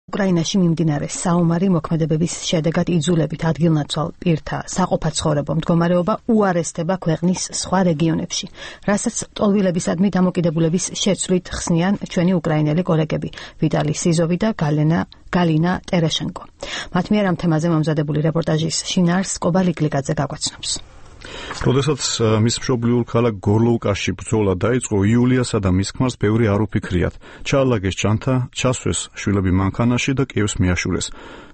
უკრაინაში მიმდინარე საომარი მოქმედებების შედეგად იძულებით ადგილნაცვალ პირთა საყოფაცხოვრებო მდგომარეობა უარესდება ქვეყნის სხვა რეგიონებში, რასაც ტოლვილებისადმი დამოკიდებულების შეცვლით ხსნიან ჩვენი უკრაინელი კოლეგები ვიტალი სიზოვი და გალინა ტერეშენკო. მათ მიერ ამ თემაზე მომზადებული რეპორტაჟის შინაარსს კობალიკლიკაძე გაგვაცნობს. როდესაც მის მშობლიურ ქალაქ გორლოვკაში ბრძოლა დაიწყო, იულიასა და მის ქმარს ბევრი არ უფიქრიათ. ჩაალაგეს ჯანთა, ჩასვეს შვილები მანქანაში და კიევს მიაშურეს.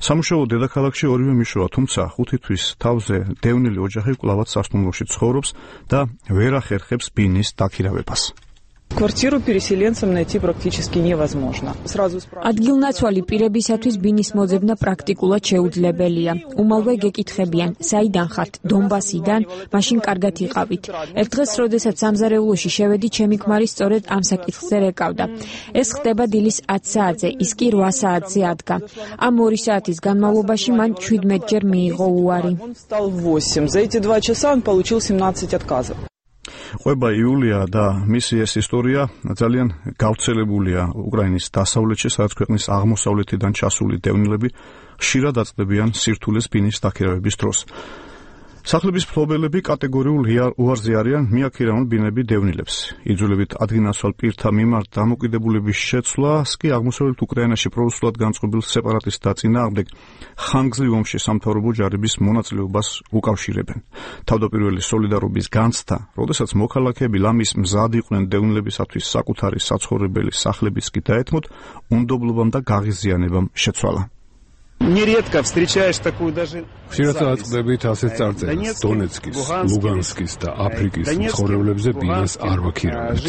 სამუშაო დედაქალაქში ორივე მიშოვა, თუმცა 5 თვის თავზე დევნილი ოჯახი კვლავაც სასტუმროში ცხოვრობს და ვერ ახერხებს ბინის დაქირავებას. Квартиру переселенцам найти практически невозможно. ადგილნაცვალი პირებისათვის ბინის მოძებნა პრაქტიკულად შეუძლებელია. უმალვე გეკითხებიან, საიდან ხართ? დონბასიდან? მაშინ კარგად იყავით. ერთ დღეს, როდესაც სამზარეულოში შევედი, ჩემი ქმარი სწორედ ამ საკითხზე რეკავდა. ეს ხდება დილის 10 საათზე, ის კი 8 საათზე ადგა. ამ 2 საათის განმავლობაში მან 17 ჯერ მიიღო უარი. За эти 2 часа он получил 17 отказов. ყვება იულია და მისი ეს ისტორია ძალიან გავრცელებულია უკრაინის დასავლეთში, სადაც ქვეყნის აღმოსავლეთიდან ჩასული დევნილები ხშირად აწყდებიან სირთულეს ბინის დაქირავების დროს. სახლების მფლობელები კატეგორიულ უარზე არიან მიაქირავონ ბინები დევნილებს. იძულებით ადგილნაცვალ პირთა მიმართ დამოკიდებულების შეცვლას კი აღმოსავლეთ უკრაინაში პრორუსულად განწყობილ სეპარატისტთა წინააღმდეგ ხანგრძლივ ომში სამთავრობო ჯარების მონაწილეობას უკავშირებენ. თავდაპირველი სოლიდარობის განცდა, როდესაც მოქალაქეები ლამის მზად იყვნენ დევნილებისათვის საკუთარი საცხოვრებელი სახლებიც კი დაეთმოთ, უნდობლობამ და გაღიზიანებამ შეცვალა. ხშირად აწყდებით ასეთ წარწერას დონეცკის, ლუგანსკის და აფრიკის მცხოვრებლებზე ბინას არ ვაქირავებთ.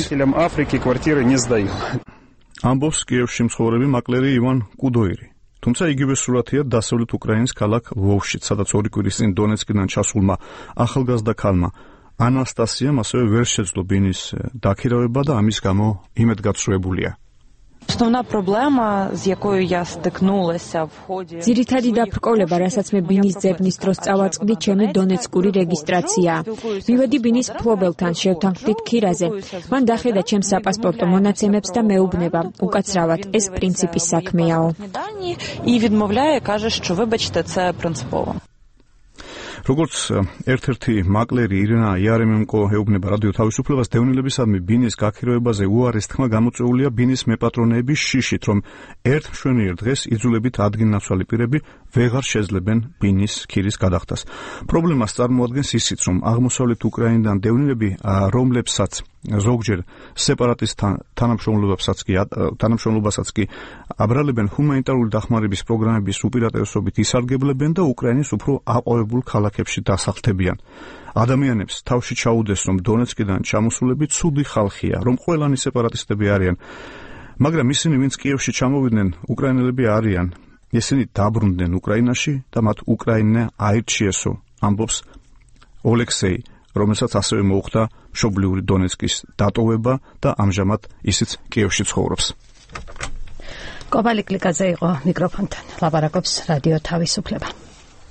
ამბობს კიევში მცხოვრები მაკლერი ივან კუდოირი. თუმცა იგივე სურათია დასავლეთ უკრაინის ქალაქ ლვოვში, სადაც 2 კვირის წინ დონეცკიდან ჩასულმა ახალგაზრდა ქალმა ანასტასიამ ასევე ვერ შეძლო ბინის დაქირავება და ამის გამო იმედგაცრუებულია. ძირითადი დაბრკოლება, რასაც მე ბინის ძებნის დროს წავაწყდი, ჩემი დონეცკური რეგისტრაციაა. მივედი ბინის მფლობელთან, შევთანხმდით ქირაზე. მან დახედა ჩემს საპასპორტო მონაცემებს და მეუბნება, უკაცრავად, ეს პრინციპის საქმეაო. როგორც ერთ-ერთი მაკლერი ირინა იარემენკო ეუბნება რადიო თავისუფლებას, დევნილებისადმი ბინის გაქირავებაზე უარის თქმა გამოწვეულია ბინის მეპატრონეების შიშით, რომ ერთ მშვენიერ დღეს იძულებით ადგილნაცვალი პირები ვეღარ შეძლებენ ბინის ქირის გადახდას. პრობლემას წარმოადგენს ისიც, რომ აღმოსავლეთ უკრაინიდან დევნილები, რომლებსაც ზოგჯერ სეპარატისტ თანამშრომლობასაც კი აბრალებენ, ჰუმანიტარული დახმარების პროგრამების უპირატესობით ისარგებლებენ და უკრაინის უფრო აყვავებულ ქალაქებში დასახლდებიან. ადამიანებს თავში ჩაუდეს, რომ დონეცკიდან ჩამოსულები ცუდი ხალხია, რომ ყველანი სეპარატისტები არიან, მაგრამ ისინი, ვინც კიევში ჩამოვიდნენ, უკრაინელები არიან. ისინი დაბრუნდნენ უკრაინაში და მათ უკრაინა აირჩიესო, ამბობს ოლექსეი, რომელსაც ასევე მოუხდა მშობლიური დონეცკის დატოვება და ამჟამად ისიც კიევში ცხოვრობს. კობალიკლიკაძე იყო მიკროფონთან. ლაპარაკობს რადიო თავისუფლება.